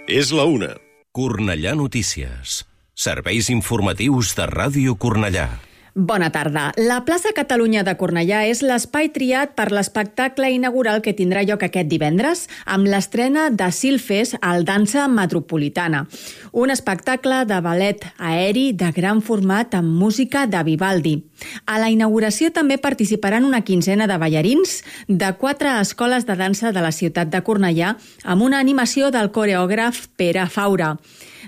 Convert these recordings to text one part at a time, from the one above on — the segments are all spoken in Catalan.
És la 1. Cornellà Notícies. Serveis informatius de Ràdio Cornellà. Bona tarda. La plaça Catalunya de Cornellà és l'espai triat per l'espectacle inaugural que tindrà lloc aquest divendres amb l'estrena de Silfes al Dansa Metropolitana, un espectacle de ballet aeri de gran format amb música de Vivaldi. A la inauguració també participaran una quinzena de ballarins de 4 escoles de dansa de la ciutat de Cornellà amb una animació del coreògraf Pere Faura.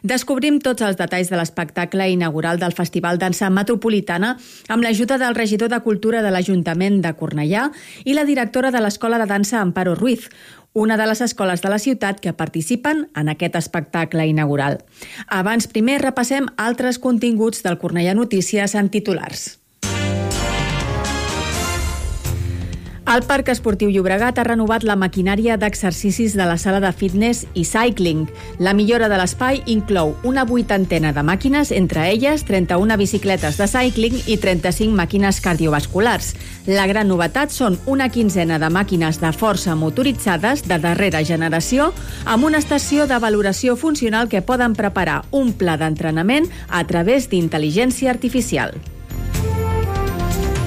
Descobrim tots els detalls de l'espectacle inaugural del Festival Dansa Metropolitana amb l'ajuda del regidor de Cultura de l'Ajuntament de Cornellà i la directora de l'Escola de Dansa Amparo Ruiz, una de les escoles de la ciutat que participen en aquest espectacle inaugural. Abans, primer repassem altres continguts del Cornellà Notícies en titulars. El Parc Esportiu Llobregat ha renovat la maquinària d'exercicis de la sala de fitness i cycling. La millora de l'espai inclou una 80ena de màquines, entre elles 31 bicicletes de cycling i 35 màquines cardiovasculars. La gran novetat són una quinzena de màquines de força motoritzades de darrera generació amb una estació de valoració funcional que poden preparar un pla d'entrenament a través d'intel·ligència artificial.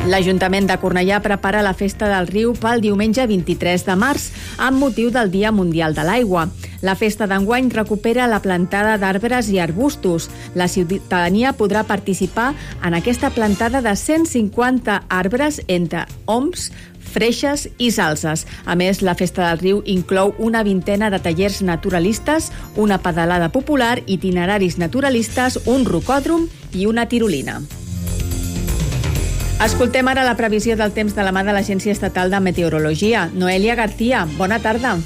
L'Ajuntament de Cornellà prepara la Festa del Riu pel diumenge 23 de març amb motiu del Dia Mundial de l'Aigua. La festa d'enguany recupera la plantada d'arbres i arbustos. La ciutadania podrà participar en aquesta plantada de 150 arbres entre oms, freixes i salses. A més, la Festa del Riu inclou una vintena de tallers naturalistes, una pedalada popular, itineraris naturalistes, un rocòdrom i una tirolina. Escoltem ara la previsió del temps de la mà de l'Agència Estatal de Meteorologia. Noelia García, bona tarda.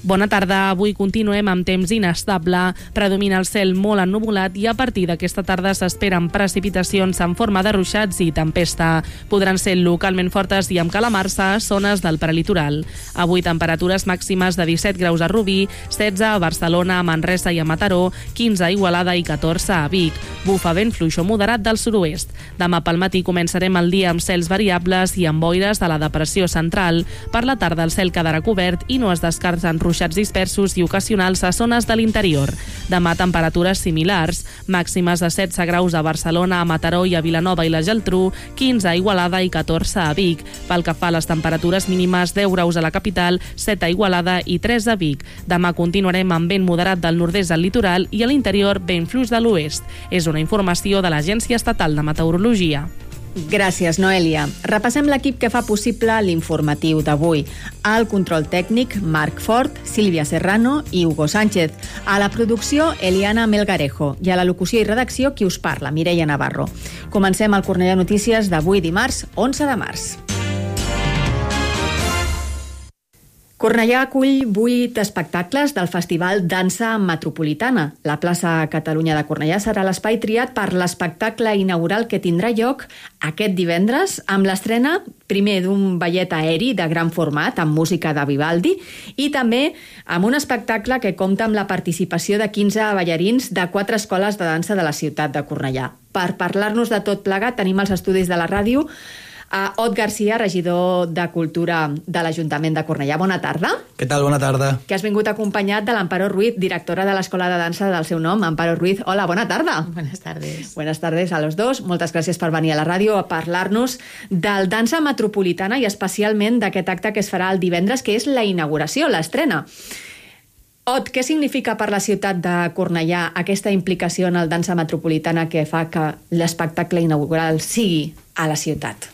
Bona tarda. Avui continuem amb temps inestable. Predomina el cel molt ennuvolat i a partir d'aquesta tarda s'esperen precipitacions en forma de ruixats i tempesta. Podran ser localment fortes i amb calamarsa a zones del prelitoral. Avui temperatures màximes de 17 graus a Rubí, 16 a Barcelona, a Manresa i a Mataró, 15 a Igualada i 14 a Vic. Bufa vent fluix o moderat del sud-oest. Demà pel matí començarem el dia amb cels variables i amb boires de la depressió central. Per la tarda el cel quedarà cobert i no es descarten ruixats dispersos i ocasionals a zones de l'interior. Demà temperatures similars, màximes de 16 graus a Barcelona, a Mataró i a Vilanova i la Geltrú, 15 a Igualada i 14 a Vic. Pel que fa a les temperatures mínimes, 10 graus a la capital, 7 a Igualada i 3 a Vic. Demà continuarem amb vent moderat del nord-est al litoral i a l'interior vent fluix de l'oest. És una informació de l'Agència Estatal de Meteorologia. Gràcies, Noelia. Repassem l'equip que fa possible l'informatiu d'avui. Al control tècnic, Marc Fort, Sílvia Serrano i Hugo Sánchez. A la producció, Eliana Melgarejo. I a la locució i redacció, qui us parla, Mireia Navarro. Comencem el Cornellà Notícies d'avui dimarts, 11 de març. Cornellà acull 8 espectacles del Festival Dansa Metropolitana. La plaça Catalunya de Cornellà serà l'espai triat per l'espectacle inaugural que tindrà lloc aquest divendres amb l'estrena primer d'un ballet aeri de gran format amb música de Vivaldi i també amb un espectacle que compta amb la participació de 15 ballarins de 4 escoles de dansa de la ciutat de Cornellà. Per parlar-nos de tot plegat tenim els estudis de la ràdio a Ot Garcia, regidor de Cultura de l'Ajuntament de Cornellà. Bona tarda. Què tal? Bona tarda. Que has vingut acompanyat de l'Amparo Ruiz, directora de l'Escola de Dansa del seu nom. Amparo Ruiz, hola, bona tarda. Buenas tardes. Buenas tardes a los dos. Moltes gràcies per venir a la ràdio a parlar-nos del Dansa Metropolitana i especialment d'aquest acte que es farà el divendres, que és la inauguració, l'estrena. Ot, què significa per la ciutat de Cornellà aquesta implicació en el Dansa Metropolitana que fa que l'espectacle inaugural sigui a la ciutat?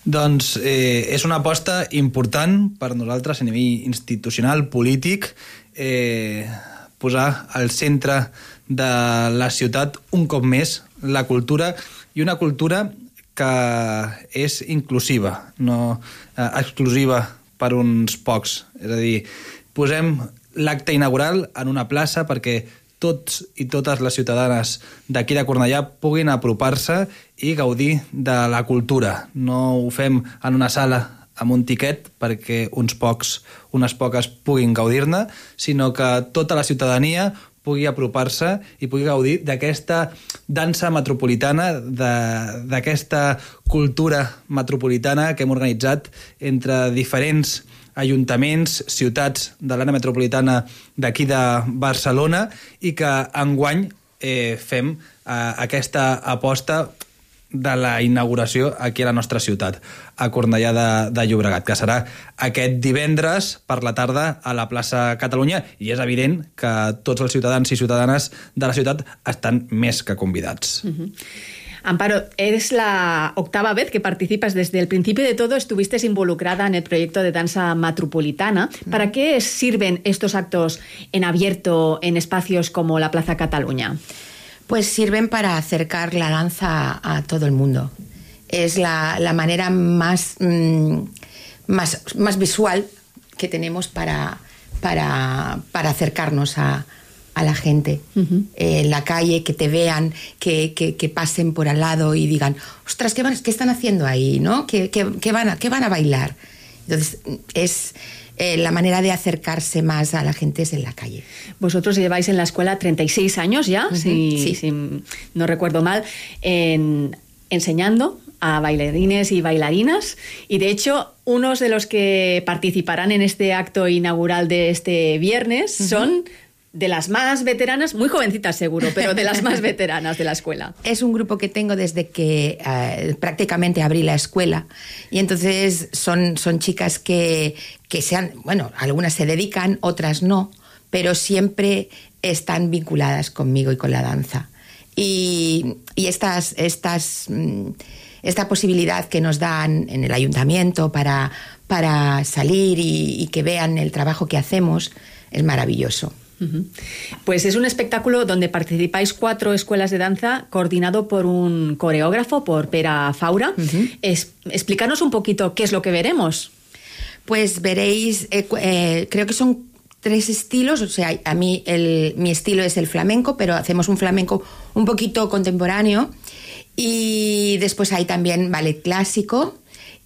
Doncs és una aposta important per nosaltres a nivell institucional, polític, posar al centre de la ciutat un cop més la cultura i una cultura que és inclusiva, no exclusiva per uns pocs. És a dir, posem l'acte inaugural en una plaça perquè tots i totes les ciutadanes d'aquí de Cornellà puguin apropar-se i gaudir de la cultura. No ho fem en una sala amb un tiquet perquè unes poques puguin gaudir-ne, sinó que tota la ciutadania pugui apropar-se i pugui gaudir d'aquesta dansa metropolitana, d'aquesta cultura metropolitana que hem organitzat entre diferents ajuntaments, ciutats de l'àrea metropolitana d'aquí de Barcelona i que enguany fem aquesta aposta de la inauguració aquí a la nostra ciutat, a Cornellà de Llobregat, que serà aquest divendres per la tarda a la plaça Catalunya, i és evident que tots els ciutadans i ciutadanes de la ciutat estan més que convidats. Amparo, eres la 8ª vez que participas. Desde el principio de todo estuviste involucrada en el proyecto de danza metropolitana. ¿Para qué sirven estos actos en abierto en espacios como la Plaza Cataluña? Pues sirven para acercar la danza a todo el mundo. Es la manera más visual que tenemos para acercarnos a la gente. En la calle, que te vean, que pasen por al lado y digan, ostras, ¿qué están haciendo ahí? ¿No? ¿Qué van a bailar? Entonces, es... la manera de acercarse más a la gente es en la calle. Vosotros lleváis en la escuela 36 años ya, si no recuerdo mal, enseñando a bailarines y bailarinas, y de hecho unos de los que participarán en este acto inaugural de este viernes son de las más veteranas, muy jovencitas seguro, pero de las más veteranas de la escuela. Es un grupo que tengo desde que prácticamente abrí la escuela, y entonces son chicas que bueno, algunas se dedican, otras no, pero siempre están vinculadas conmigo y con la danza. Y esta posibilidad que nos dan en el ayuntamiento para salir y que vean el trabajo que hacemos es maravilloso. Pues es un espectáculo donde participáis 4 escuelas de danza, coordinado por un coreógrafo, por Pere Faura. Explícanos un poquito qué es lo que veremos. Pues veréis, creo que son 3 estilos. O sea, a mí mi estilo es el flamenco, pero hacemos un flamenco un poquito contemporáneo, y después hay también ballet clásico,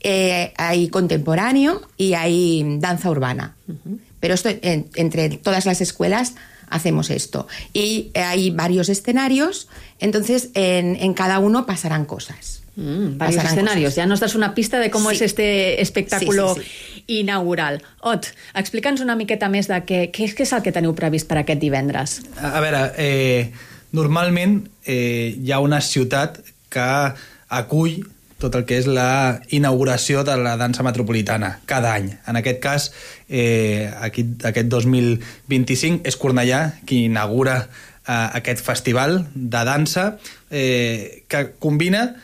hay contemporáneo y hay danza urbana. Pero esto, entre todas las escuelas hacemos esto. Y hay varios escenarios, entonces en cada uno pasarán cosas. Varios escenarios. Coses. Ja nos das una pista de com és este espectacle inaugural. Ot, explica'ns una miqueta més de què és el que teniu previst per aquest divendres. A veure, normalment hi ha una ciutat que acull tot el que és la inauguració de la dansa metropolitana cada any. En aquest cas, aquest 2025 és Cornellà qui inaugura aquest festival de dansa que combina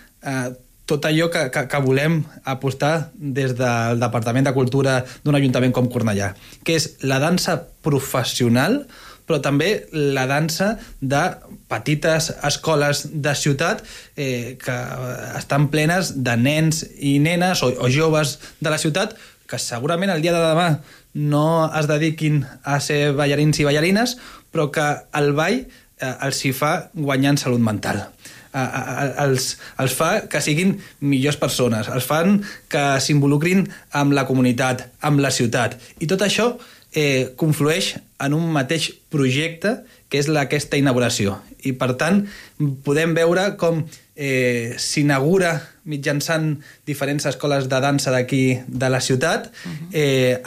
tot allò que volem apostar des del Departament de Cultura d'un ajuntament com Cornellà, que és la dansa professional, però també la dansa de petites escoles de ciutat que estan plenes de nens i nenes o joves de la ciutat que segurament el dia de demà no es dediquin a ser ballarins i ballarines, però que el ball els hi fa guanyar en salut mental. Els fa que siguin millors persones, els fan que s'involucrin amb la comunitat, amb la ciutat. I tot això conflueix en un mateix projecte que és aquesta inauguració. I per tant podem veure com s'inaugura mitjançant diferents escoles de dansa d'aquí de la ciutat,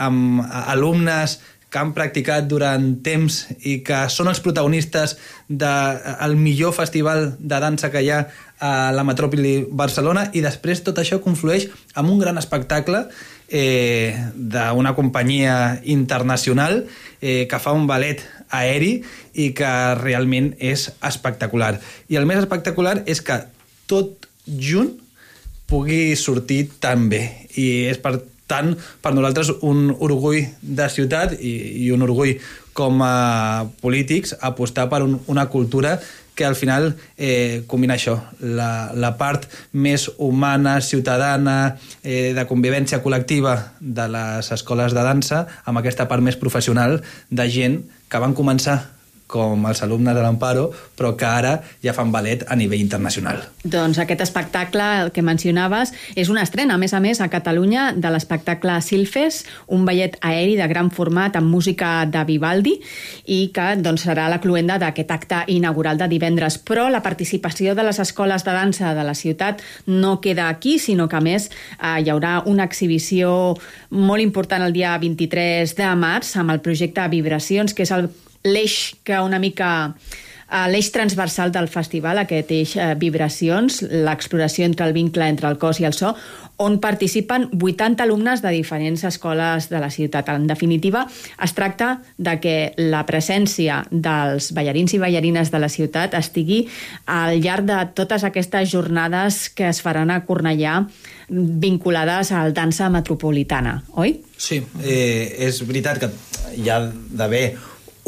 amb alumnes que han practicat durant temps i que són els protagonistes del millor festival de dansa que hi ha a la metròpoli Barcelona, i després tot això conflueix en un gran espectacle d'una companyia internacional que fa un ballet aeri i que realment és espectacular. I el més espectacular és que tot junt pugui sortir tan bé, i és per tant per nosaltres un orgull de ciutat i un orgull com a polítics apostar per una cultura que al final combina això, la part més humana, ciutadana, de convivència col·lectiva de les escoles de dansa, amb aquesta part més professional de gent que van començar com els alumnes de l'Amparo, però que ara ja fan ballet a nivell internacional. Doncs aquest espectacle, el que mencionaves, és una estrena, a més, a Catalunya, de l'espectacle Silfes, un ballet aeri de gran format amb música de Vivaldi, i que doncs, serà la cloenda d'aquest acte inaugural de divendres. Però la participació de les escoles de dansa de la ciutat no queda aquí, sinó que, a més, hi haurà una exhibició molt important el dia 23 de març amb el projecte Vibracions, que és l'eix que una mica l'eix transversal del festival, aquest eix Vibracions, l'exploració entre el vincle entre el cos i el so, on participen 80 alumnes de diferents escoles de la ciutat. En definitiva, es tracta de que la presència dels ballarins i ballarines de la ciutat estigui al llarg de totes aquestes jornades que es faran a Cornellà vinculades al dansa metropolitana, oi? Sí, és veritat que hi ha d'haver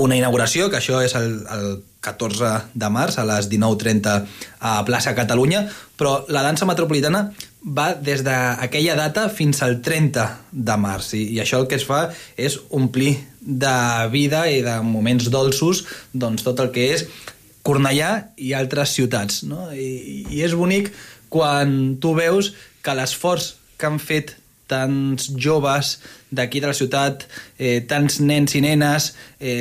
una inauguració, que això és el 14 de març a les 19:30 a plaça Catalunya, però la dansa metropolitana va des d'aquella data fins al 30 de març i això el que es fa és omplir de vida i de moments dolços doncs, tot el que és Cornellà i altres ciutats, no? I és bonic quan tu veus que l'esforç que han fet tants joves d'aquí de la ciutat, tants nens i nenes,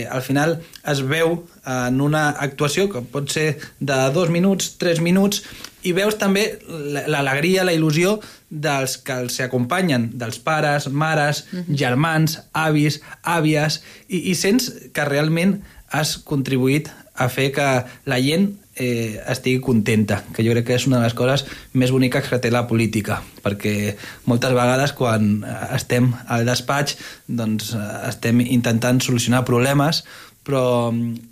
al final es veu en una actuació que pot ser de 2 minuts, 3 minuts, i veus també l'alegria, la il·lusió dels que els acompanyen, dels pares, mares, germans, avis, àvies, i sents que realment has contribuït a fer que la gent estigui contenta, que jo crec que és una de les coses més boniques que té la política, perquè moltes vegades quan estem al despatx doncs estem intentant solucionar problemes, però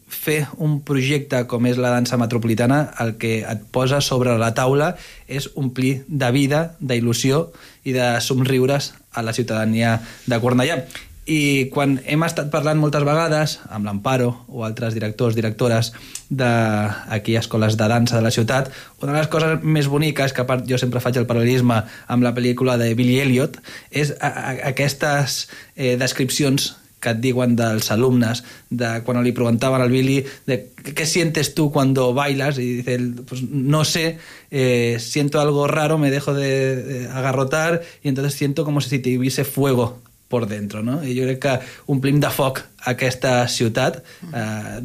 fer un projecte com és la dansa metropolitana el que et posa sobre la taula és omplir de vida, d'il·lusió i de somriures a la ciutadania de Cornellà. I quan hem estat parlant moltes vegades amb l'Amparo o altres directors, directores d'aquí escoles de dansa de la ciutat, una de les coses més boniques, que a part jo sempre faig el paral·lelisme amb la pel·lícula de Billy Elliot, és aquestes descripcions que et diuen dels alumnes, de quan li preguntaven al Billy de què sientes tú cuando bailas, y dice, pues no sé, siento algo raro, me dejo de agarrotar y entonces siento como si te hubiese fuego por dentro, no? I jo crec que omplim de foc aquesta ciutat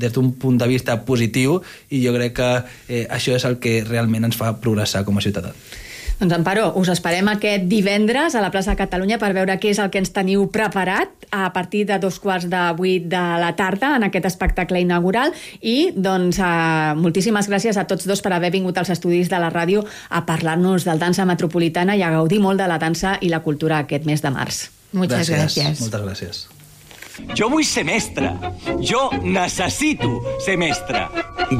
des d'un punt de vista positiu i jo crec que això és el que realment ens fa progressar com a ciutadà. Doncs Amparo, us esperem aquest divendres a la plaça Catalunya per veure què és el que ens teniu preparat a partir de 7:15 de la tarda en aquest espectacle inaugural i doncs moltíssimes gràcies a tots dos per haver vingut als estudis de la ràdio a parlar-nos del dansa metropolitana i a gaudir molt de la dansa i la cultura aquest mes de març. Muchas gracias. Moltes gràcies. Jo vull ser mestre. Jo necessito ser mestre.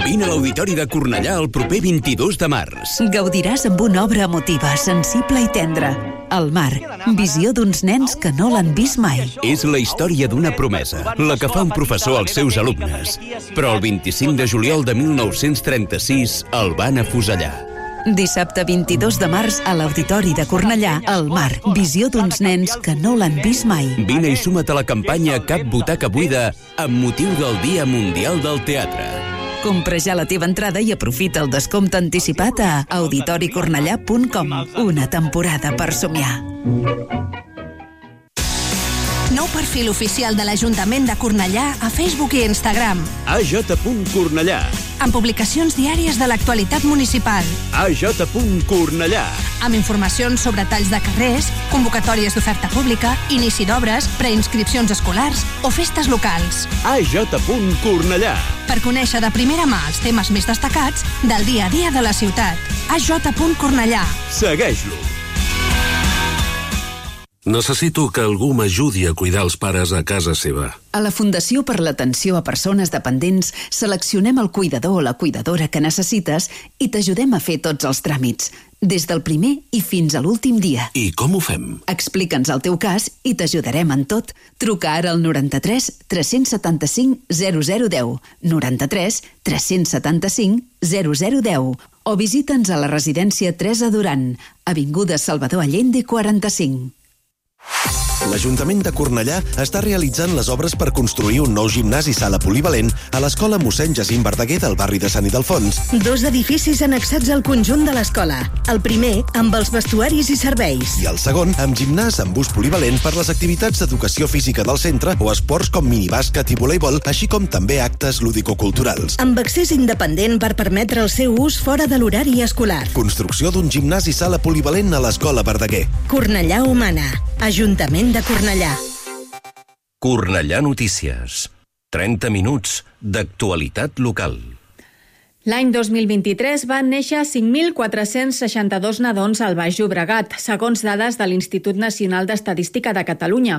Vine a l'Auditori de Cornellà el proper 22 de març. Gaudiràs amb una obra emotiva, sensible i tendra. El mar, visió d'uns nens que no l'han vist mai. És la història d'una promesa, la que fa un professor als seus alumnes. Però el 25 de juliol de 1936 el van afusellar. Dissabte 22 de març a l'Auditori de Cornellà, El mar, visió d'uns nens que no l'han vist mai. Vine i suma't a la campanya Cap butaca buida amb motiu del Dia Mundial del Teatre. Compra ja la teva entrada i aprofita el descompte anticipat a auditoricornellà.com. Una temporada per somiar. Nou perfil oficial de l'Ajuntament de Cornellà a Facebook i Instagram. AJ.Cornellà. Amb publicacions diàries de l'actualitat municipal. AJ.Cornellà. Amb informacions sobre talls de carrers, convocatòries d'oferta pública, inici d'obres, preinscripcions escolars o festes locals. AJ.Cornellà. Per conèixer de primera mà els temes més destacats del dia a dia de la ciutat. AJ.Cornellà. Segueix-lo. Necessito que algú m'ajudi a cuidar els pares a casa seva. A la Fundació per l'Atenció a Persones Dependents seleccionem el cuidador o la cuidadora que necessites i t'ajudem a fer tots els tràmits, des del primer i fins a l'últim dia. I com ho fem? Explica'ns el teu cas i t'ajudarem en tot. Truca ara al 93 375 0010, 93 375 0010 o visita'ns a la residència Teresa Duran, avinguda Salvador Allende 45. L'Ajuntament de Cornellà està realitzant les obres per construir un nou gimnàs i sala polivalent a l'Escola Mossèn Jacint Verdaguer del barri de Sant Ildefons. 2 edificis annexats al conjunt de l'escola. El primer, amb els vestuaris i serveis. I el segon, amb gimnàs amb ús polivalent per les activitats d'educació física del centre o esports com minibàsquet i voleibol, així com també actes lúdico-culturals. Amb accés independent per permetre el seu ús fora de l'horari escolar. Construcció d'un gimnàs i sala polivalent a l'Escola Verdaguer. Cornellà Humana. Ajuntament de Cornellà. Cornellà Notícies. 30 minuts d'actualitat local. L'any 2023 van néixer 5.462 nadons al Baix Llobregat, segons dades de l'Institut Nacional d'Estadística de Catalunya.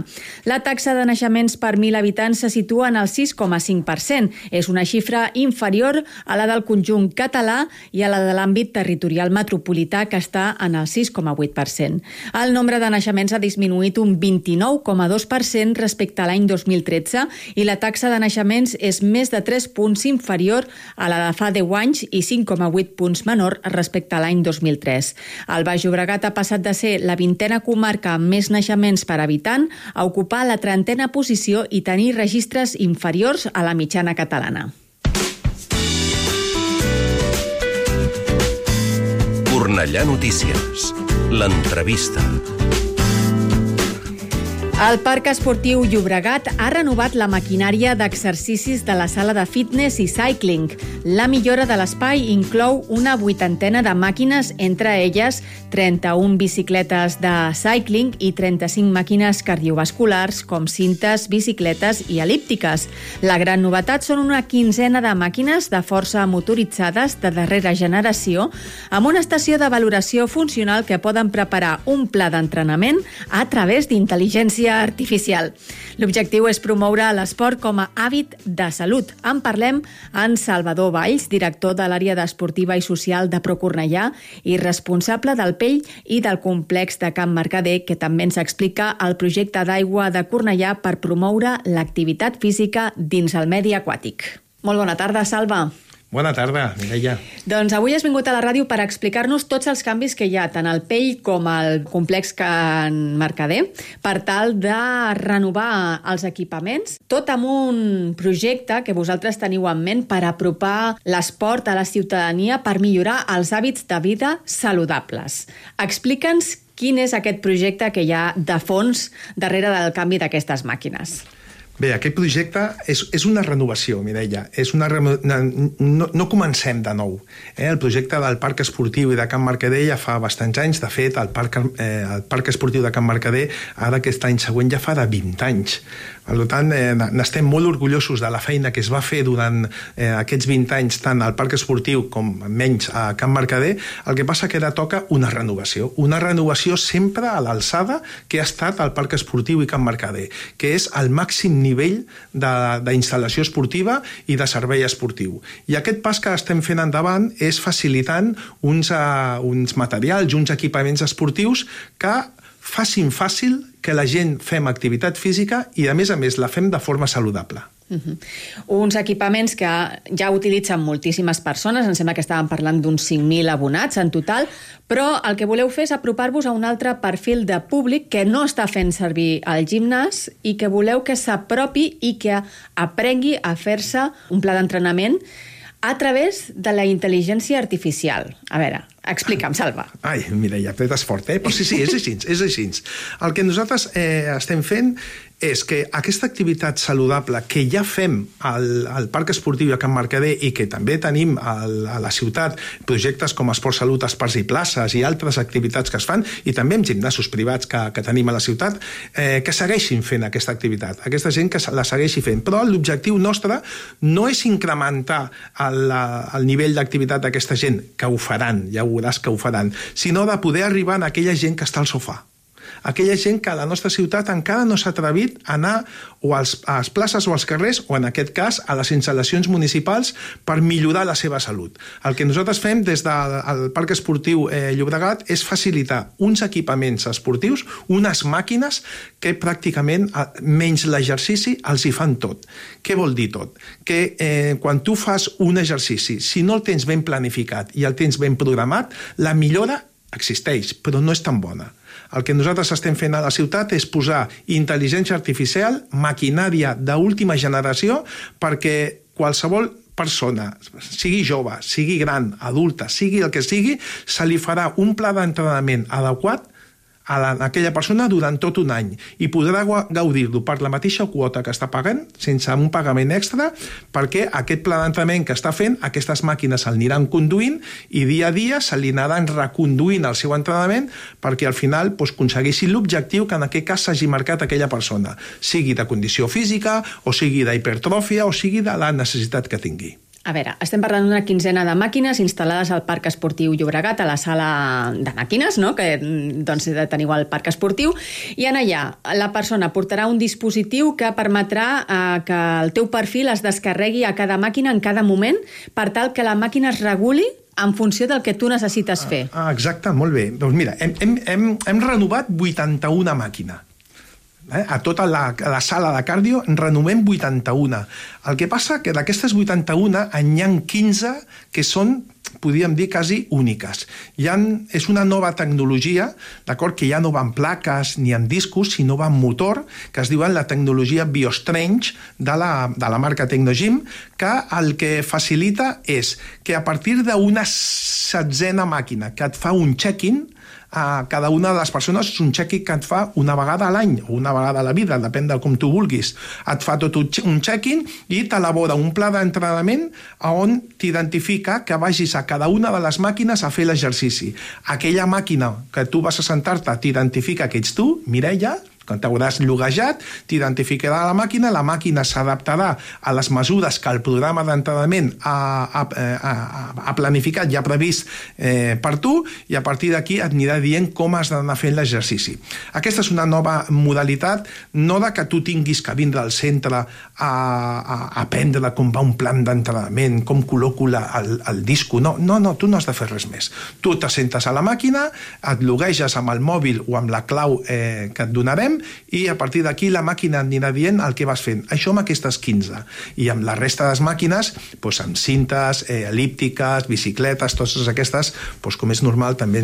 La taxa de naixements per 1.000 habitants se situa en el 6,5%. És una xifra inferior a la del conjunt català i a la de l'àmbit territorial metropolità, que està en el 6,8%. El nombre de naixements ha disminuït un 29,2% respecte a l'any 2013 i la taxa de naixements és més de 3 punts inferior a la de fa 10 anys i 5,8 punts menor respecte a l'any 2003. El Baix Llobregat ha passat de ser la 20a comarca amb més naixements per habitant a ocupar la 30a posició i tenir registres inferiors a la mitjana catalana. Cornellà Notícies. L'entrevista. El Parc Esportiu Llobregat ha renovat la maquinària d'exercicis de la sala de fitness i cycling. La millora de l'espai inclou una 80ena de màquines, entre elles 31 bicicletes de cycling i 35 màquines cardiovasculars com cintes, bicicletes i elíptiques. La gran novetat són una 15ena de màquines de força motoritzades de darrera generació amb una estació de valoració funcional que poden preparar un pla d'entrenament a través d'intel·ligència artificial. L'objectiu és promoure l'esport com a hàbit de salut. En parlem amb Salvador Valls, director de l'àrea d'esportiva i social de Procornellà i responsable del Pell i del complex de Can Mercader, que també ens explica el projecte d'aigua de Cornellà per promoure l'activitat física dins el medi aquàtic. Molt bona tarda, Salva. Bona tarda, Mireia. Doncs avui has vingut a la ràdio per explicar-nos tots els canvis que hi ha, tant al Pell com al complex Can Mercader, per tal de renovar els equipaments, tot amb un projecte que vosaltres teniu en ment per apropar l'esport a la ciutadania per millorar els hàbits de vida saludables. Explica'ns quin és aquest projecte que hi ha de fons darrere del canvi d'aquestes màquines. Bé, aquest projecte és una renovació, Mireia. No comencem de nou. El projecte del Parc Esportiu i de Can Mercader ja fa bastants anys. De fet, el Parc Esportiu de Can Mercader, ara aquest any següent, ja fa de 20 anys. Per tant, n'estem molt orgullosos de la feina que es va fer durant aquests 20 anys, tant al Parc Esportiu com menys a Can Mercader. El que passa que ara toca una renovació sempre a l'alçada que ha estat el Parc Esportiu i Can Mercader, que és el màxim nivell d'instal·lació esportiva i de servei esportiu. I aquest pas que estem fent endavant és facilitant uns materials, uns equipaments esportius que facin fàcil que la gent fem activitat física i, a més, la fem de forma saludable. Uns equipaments que ja utilitzen moltíssimes persones, em sembla que estàvem parlant d'uns 5.000 abonats en total, però el que voleu fer és apropar-vos a un altre perfil de públic que no està fent servir el gimnàs i que voleu que s'apropi i que aprengui a fer-se un pla d'entrenament a través de la intel·ligència artificial. A veure, explica'm, Salva. Ai, Mireia, apretes fort, Però sí, és així. El que nosaltres estem fent és que aquesta activitat saludable que ja fem al Parc Esportiu de Can Mercader i que també tenim a la ciutat, projectes com Esport Salut, Espais i Places i altres activitats que es fan, i també amb gimnasos privats que tenim a la ciutat, que segueixin fent aquesta activitat, aquesta gent que la segueixi fent. Però l'objectiu nostre no és incrementar el nivell d'activitat d'aquesta gent, que ho faran, ja ho veuràs que ho faran, sinó de poder arribar a aquella gent que està al sofà. Aquella gent que a la nostra ciutat encara no s'ha atrevit a anar o a les places o als carrers, o en aquest cas a les instal·lacions municipals, per millorar la seva salut. El que nosaltres fem des del Parc Esportiu Llobregat és facilitar uns equipaments esportius, unes màquines que pràcticament, menys l'exercici, els hi fan tot. Què vol dir tot? Que quan tu fas un exercici, si no el tens ben planificat i el tens ben programat, la millora existeix, però no és tan bona. El que nosaltres estem fent a la ciutat és posar intel·ligència artificial, maquinària d'última generació, perquè qualsevol persona, sigui jove, sigui gran, adulta, sigui el que sigui, se li farà un pla d'entrenament adequat a aquella persona durant tot un any i podrà gaudir-lo per la mateixa quota que està pagant, sense un pagament extra, perquè aquest pla d'entrenament que està fent, aquestes màquines el aniran conduint i dia a dia se li anaran reconduint el seu entrenament perquè al final aconsegueixin l'objectiu que en aquest cas s'hagi marcat aquella persona, sigui de condició física o sigui d'hipertròfia o sigui de la necessitat que tingui. A veure, estem parlant d'una quinzena de màquines instal·lades al Parc Esportiu Llobregat, a la sala de màquines, no?, que doncs, teniu al Parc Esportiu, i en allà la persona portarà un dispositiu que permetrà que el teu perfil es descarregui a cada màquina en cada moment per tal que la màquina es reguli en funció del que tu necessites fer. Exacte, molt bé. Doncs mira, hem renovat 81 màquines. A tota la sala de cardio en renovem 81. El que passa que d'aquestes 81 n'hi ha 15 que són, podríem dir, quasi úniques. És una nova tecnologia, d'acord, que ja no va en plaques ni en discos, sinó va en motor, que es diuen la tecnologia BioStrange de la marca Tecnogym, que el que facilita és que a partir d'una 16a màquina que et fa un check-in, a cada una de les persones és un check-in que et fa una vegada a l'any o una vegada a la vida, depèn de com tu vulguis. Et fa tot un check-in i t'elabora un pla d'entrenament on t'identifica que vagis a cada una de les màquines a fer l'exercici. Aquella màquina que tu vas a sentar-te t'identifica que ets tu, Mireia, quan t'hauràs lloguejat, t'identificarà la màquina s'adaptarà a les mesures que el programa d'entrenament ha planificat i ha previst per tu, i a partir d'aquí et anirà dient com has d'anar fent l'exercici. Aquesta és una nova modalitat, no de que tu tinguis que vindre al centre a aprendre com va un plan d'entrenament, com col·loco el disco, no, tu no has de fer res més. Tu t'assentes a la màquina, et llogueges amb el mòbil o amb la clau que et donarem, i a partir d'aquí la màquina anirà dient el que vas fent. Això amb aquestes 15. I amb la resta de les màquines, amb cintes, elíptiques, bicicletes, totes aquestes, com és normal, també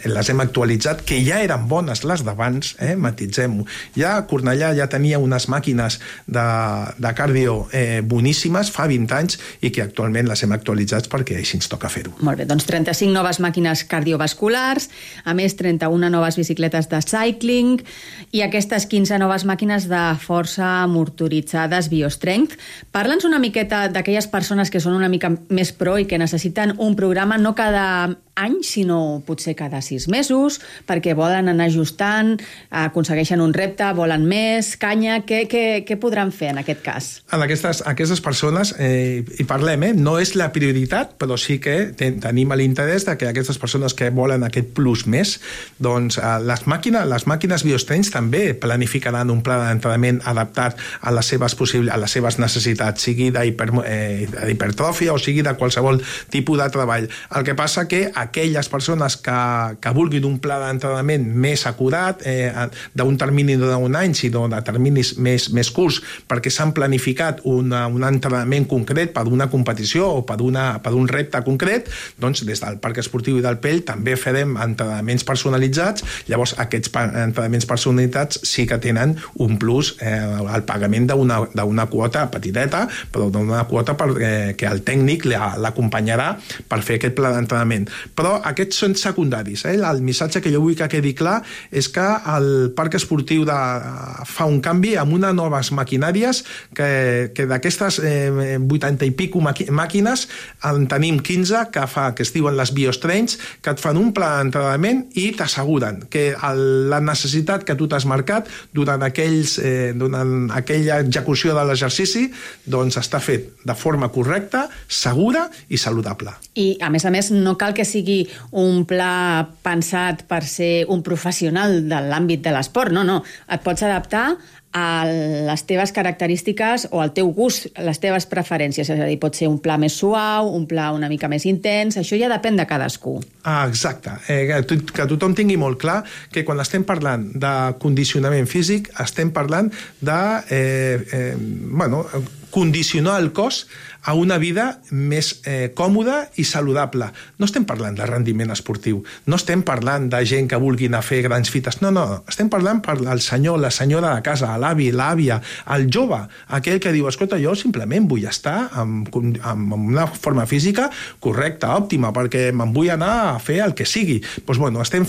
les hem actualitzat, que ja eren bones les d'abans, matitzem-ho. Ja Cornellà ja tenia unes màquines de cardio boníssimes fa 20 anys i que actualment les hem actualitzat perquè així ens toca fer-ho. Molt bé, doncs 35 noves màquines cardiovasculars, a més 31 noves bicicletes de cycling i aquestes 15 noves màquines de força motoritzades BioStrength. Parla'ns una miqueta d'aquelles persones que són una mica més pro i que necessiten un programa no cada any, sinó potser cada 6 mesos, perquè volen anar ajustant, aconsegueixen un repte, volen més, canya. Què podran fer en aquest cas? En aquestes persones, hi parlem, no és la prioritat, però sí que tenim l'interès de que aquestes persones que volen aquest plus més, doncs les màquines BioStrength també planificaran un pla d'entrenament adaptat a les seves necessitats, sigui d'hipertròfia o sigui de qualsevol tipus de treball. El que passa que aquelles persones que vulguin un pla d'entrenament més acurat, d'un termini no d'un any, sinó de terminis més curts, perquè s'han planificat un entrenament concret per una competició o per un repte concret, doncs des del Parc Esportiu i del Pell també farem entrenaments personalitzats. Llavors aquests entrenaments personalitzats sí que tenen un plus, el pagament d'una quota petiteta, però d'una quota que el tècnic l'acompanyarà per fer aquest pla d'entrenament. Però aquests són secundaris. El missatge que jo vull que quedi clar és que el Parc Esportiu fa un canvi amb unes noves maquinàries que d'aquestes 80 i pico màquines en tenim 15 que es diuen les BioStrength, que et fan un pla d'entrenament i t'asseguren que la necessitat que tu t'has marcat durant aquella execució de l'exercici doncs està fet de forma correcta, segura i saludable. I a més, no cal que sigui un pla pensat per ser un professional de l'àmbit de l'esport, no. Et pots adaptar a les teves característiques o al teu gust, les teves preferències. És a dir, pot ser un pla més suau, un pla una mica més intens, això ja depèn de cadascú. Exacte. Que tothom tingui molt clar que quan estem parlant de condicionament físic estem parlant de condicionar el cos a una vida més còmoda i saludable. No estem parlant de rendiment esportiu, no estem parlant de gent que vulgui anar a fer grans fites, no, estem parlant per el senyor, la senyora de casa, l'avi, l'àvia, el jove, aquell que diu, escolta, jo simplement vull estar amb una forma física correcta, òptima, perquè me'n vull anar a fer el que sigui. Doncs, bueno, estem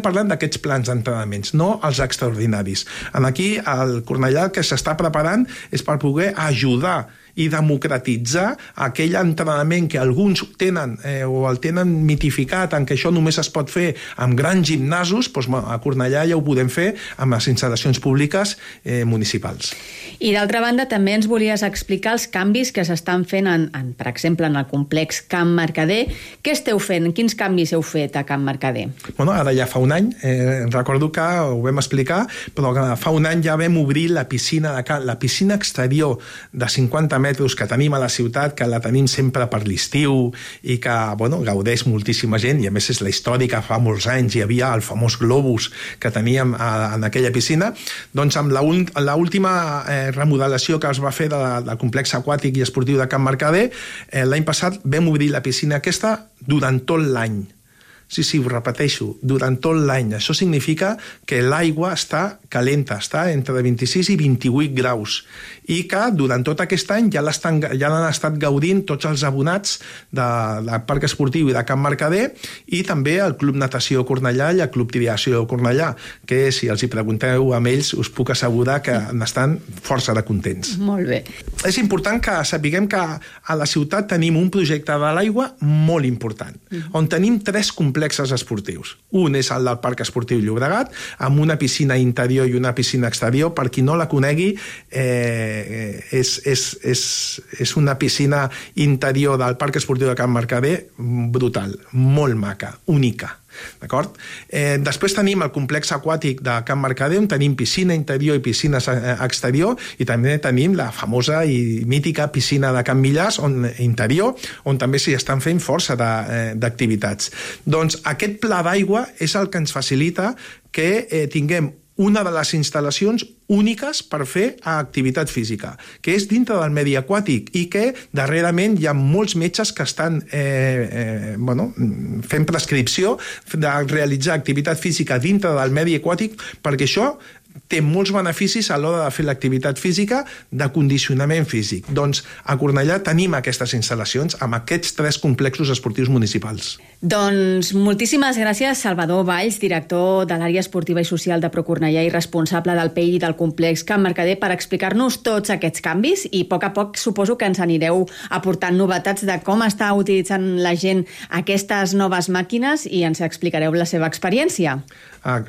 parlant d'aquests plans d'entrenaments, no els extraordinaris. Aquí, el Cornellà que s'està preparant és per poder ajudar i democratitzar aquell entrenament que alguns tenen o el tenen mitificat en que això només es pot fer amb grans gimnasos, doncs a Cornellà ja ho podem fer amb les instal·lacions públiques municipals. I d'altra banda també ens volies explicar els canvis que s'estan fent, per exemple, en el complex Can Mercader. Què esteu fent? Quins canvis heu fet a Can Mercader? Bueno, ara ja fa un any, recordo que ho vam explicar, però fa un any ja vam obrir la piscina exterior de 50 metres que tenim a la ciutat, que la tenim sempre per l'estiu i que, bueno, gaudeix moltíssima gent, i a més és la història que fa molts anys hi havia el famós globus que teníem en aquella piscina. Doncs amb l'última remodelació que es va fer del complex aquàtic i esportiu de Can Mercader, l'any passat vam obrir la piscina aquesta durant tot l'any. Sí, ho repeteixo, durant tot l'any. Això significa que l'aigua està calenta, està entre 26 i 28 graus, i que durant tot aquest any ja l'han estat gaudint tots els abonats del Parc Esportiu i de Can Mercader, i també el Club Natació Cornellà i el Club Triació Cornellà, que si els hi pregunteu amb ells us puc assegurar que n'estan força de contents. Molt bé. És important que sapiguem que a la ciutat tenim un projecte de l'aigua molt important, on tenim 3 complexes esportius. Un és el del Parc Esportiu Llobregat, amb una piscina interior i una piscina exterior. Per qui no la conegui, és una piscina interior del Parc Esportiu de Can Mercader brutal, molt maca, única. D'acord? Després tenim el complex aquàtic de Can Mercader, on tenim piscina interior i piscina exterior, i també tenim la famosa i mítica piscina de Can Millars interior, on també s'hi estan fent força d'activitats. Doncs aquest pla d'aigua és el que ens facilita que tinguem una de les instal·lacions úniques per fer activitat física, que és dintre del medi aquàtic, i que darrerament hi ha molts metges que estan fent prescripció de realitzar activitat física dintre del medi aquàtic, perquè això té molts beneficis a l'hora de fer l'activitat física de condicionament físic. Doncs a Cornellà tenim aquestes instal·lacions amb aquests 3 complexos esportius municipals. Doncs moltíssimes gràcies, Salvador Valls, director de l'àrea esportiva i social de Procornellà i responsable del PEI del complex Can Mercader, per explicar-nos tots aquests canvis, i a poc suposo que ens anireu aportant novetats de com està utilitzant la gent aquestes noves màquines, i ens explicareu la seva experiència.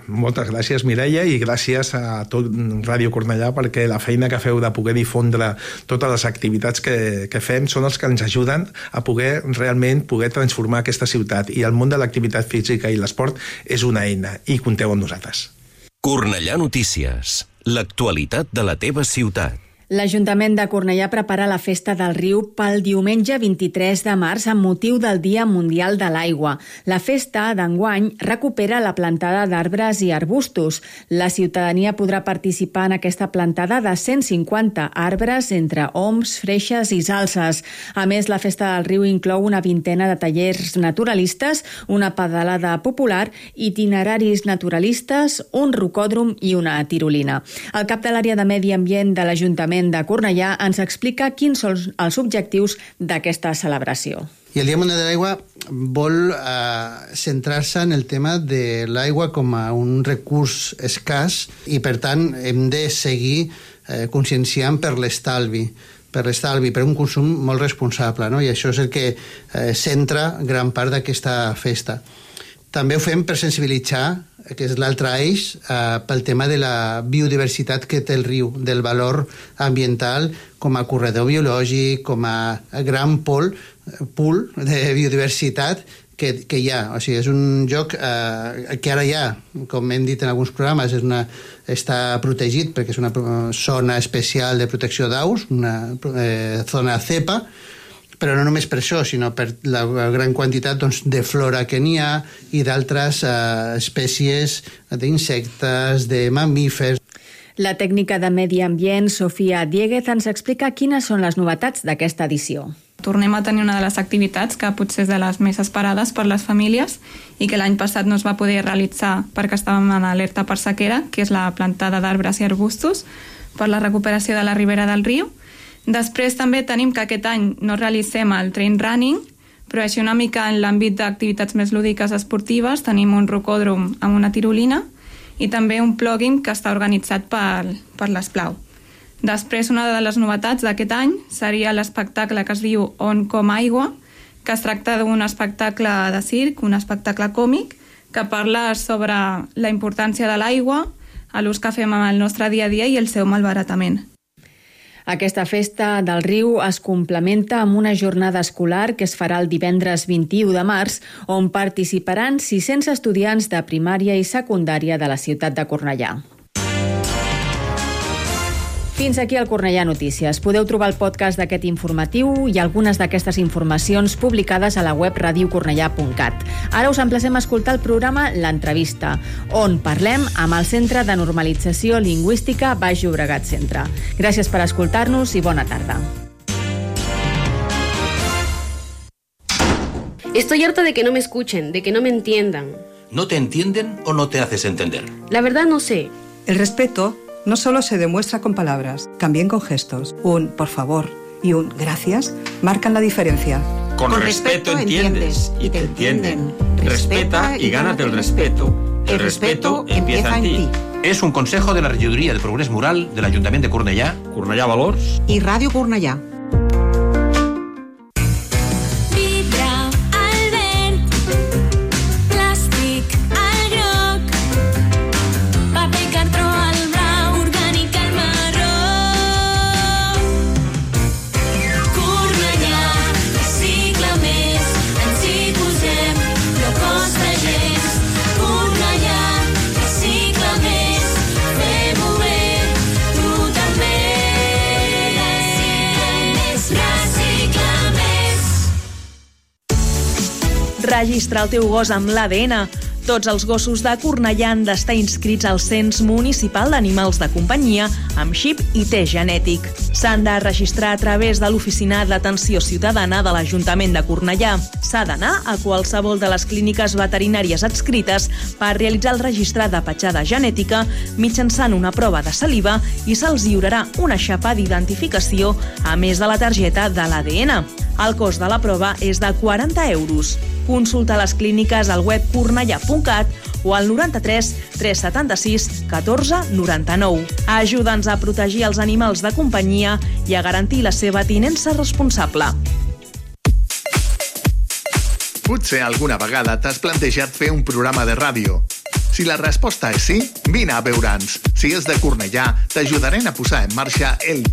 Moltes gràcies, Mireia, i gràcies a tot Ràdio Cornellà, perquè la feina que feu de poder difondre totes les activitats que fem són els que ens ajuden a realment poder transformar aquesta ciutat, i el món de l'activitat física i l'esport és una eina, i compteu amb nosaltres. Cornellà Notícies, l'actualitat de la teva ciutat. L'Ajuntament de Cornellà prepara la Festa del Riu pel diumenge 23 de març amb motiu del Dia Mundial de l'Aigua. La festa d'enguany recupera la plantada d'arbres i arbustos. La ciutadania podrà participar en aquesta plantada de 150 arbres entre oms, freixes i salses. A més, la Festa del Riu inclou una vintena de tallers naturalistes, una pedalada popular, itineraris naturalistes, un rocòdrom i una tirolina. El cap de l'àrea de Medi Ambient de l'Ajuntament de Cornellà ens explica quins són els objectius d'aquesta celebració. I el Dia Mundial de l'Aigua vol centrar-se en el tema de l'aigua com a un recurs escàs, i per tant hem de seguir conscienciant per l'estalvi, per un consum molt responsable, no? I això és el que centra gran part d'aquesta festa. També ho fem per sensibilitzar, que és l'altre eix, pel tema de la biodiversitat que té el riu, del valor ambiental com a corredor biològic, com a gran pool de biodiversitat que hi ha. O sigui, és un lloc que ara ja, com hem dit en alguns programes, està protegit perquè és una zona especial de protecció d'aus, una zona CEPA, però no només per això, sinó per la gran quantitat de flora que n'hi ha i d'altres espècies d'insectes, de mamífers. La tècnica de medi ambient, Sofia Dieguez, ens explica quines són les novetats d'aquesta edició. Tornem a tenir una de les activitats que potser és de les més esperades per les famílies i que l'any passat no es va poder realitzar perquè estàvem en alerta per sequera, que és la plantada d'arbres i arbustos per la recuperació de la ribera del riu. Després també tenim que aquest any no realitzem el trail running, però així una mica en l'àmbit d'activitats més lúdiques esportives tenim un rocòdrom amb una tirolina i també un plugin que està organitzat per l'Esplau. Després, una de les novetats d'aquest any seria l'espectacle que es diu On com aigua, que es tracta d'un espectacle de circ, un espectacle còmic, que parla sobre la importància de l'aigua, l'ús que fem en el nostre dia a dia i el seu malbaratament. Aquesta festa del riu es complementa amb una jornada escolar que es farà el divendres 21 de març, on participaran 600 estudiants de primària i secundària de la ciutat de Cornellà. Fins aquí el Cornellà Notícies. Podeu trobar el podcast d'aquest informatiu i algunes d'aquestes informacions publicades a la web radiocornellà.cat. Ara us emplacem a escoltar el programa L'Entrevista, on parlem amb el Centre de Normalització Lingüística Baix Llobregat Centre. Gràcies per escoltar-nos i bona tarda. Estoy harta de que no me escuchen, de que no me entiendan. ¿No te entienden o no te haces entender? La verdad no sé. El respeto no solo se demuestra con palabras, también con gestos. Un por favor y un gracias marcan la diferencia. Con respeto entiendes y te entienden. Respeta y gánate el respeto. El respeto empieza en ti. Es un consejo de la Regidoria de Progrés Moral del Ayuntamiento de Cornellà, Cornellà Valors i Ràdio Cornellà. Registra el teu gos amb l'ADN. Tots els gossos de Cornellà han d'estar inscrits al Cens Municipal d'Animals de Companyia amb xip i test genètic. S'han de registrar a través de l'Oficina d'Atenció Ciutadana de l'Ajuntament de Cornellà. S'ha d'anar a qualsevol de les clíniques veterinàries adscrites per realitzar el registre de petjada genètica mitjançant una prova de saliva i se'ls lliurarà una xapa d'identificació a més de la targeta de l'ADN. El cost de la prova és de 40 euros. Consulta les clíniques al web cornellà.cat o al 93 376 14 99. Ajuda'ns a protegir els animals de companyia i a garantir la seva tinença responsable. Potser alguna vegada t'has plantejat fer un programa de ràdio. Si la resposta és sí, vine a veure'ns. Si és de Cornellà, t'ajudarem a posar en marxa el teu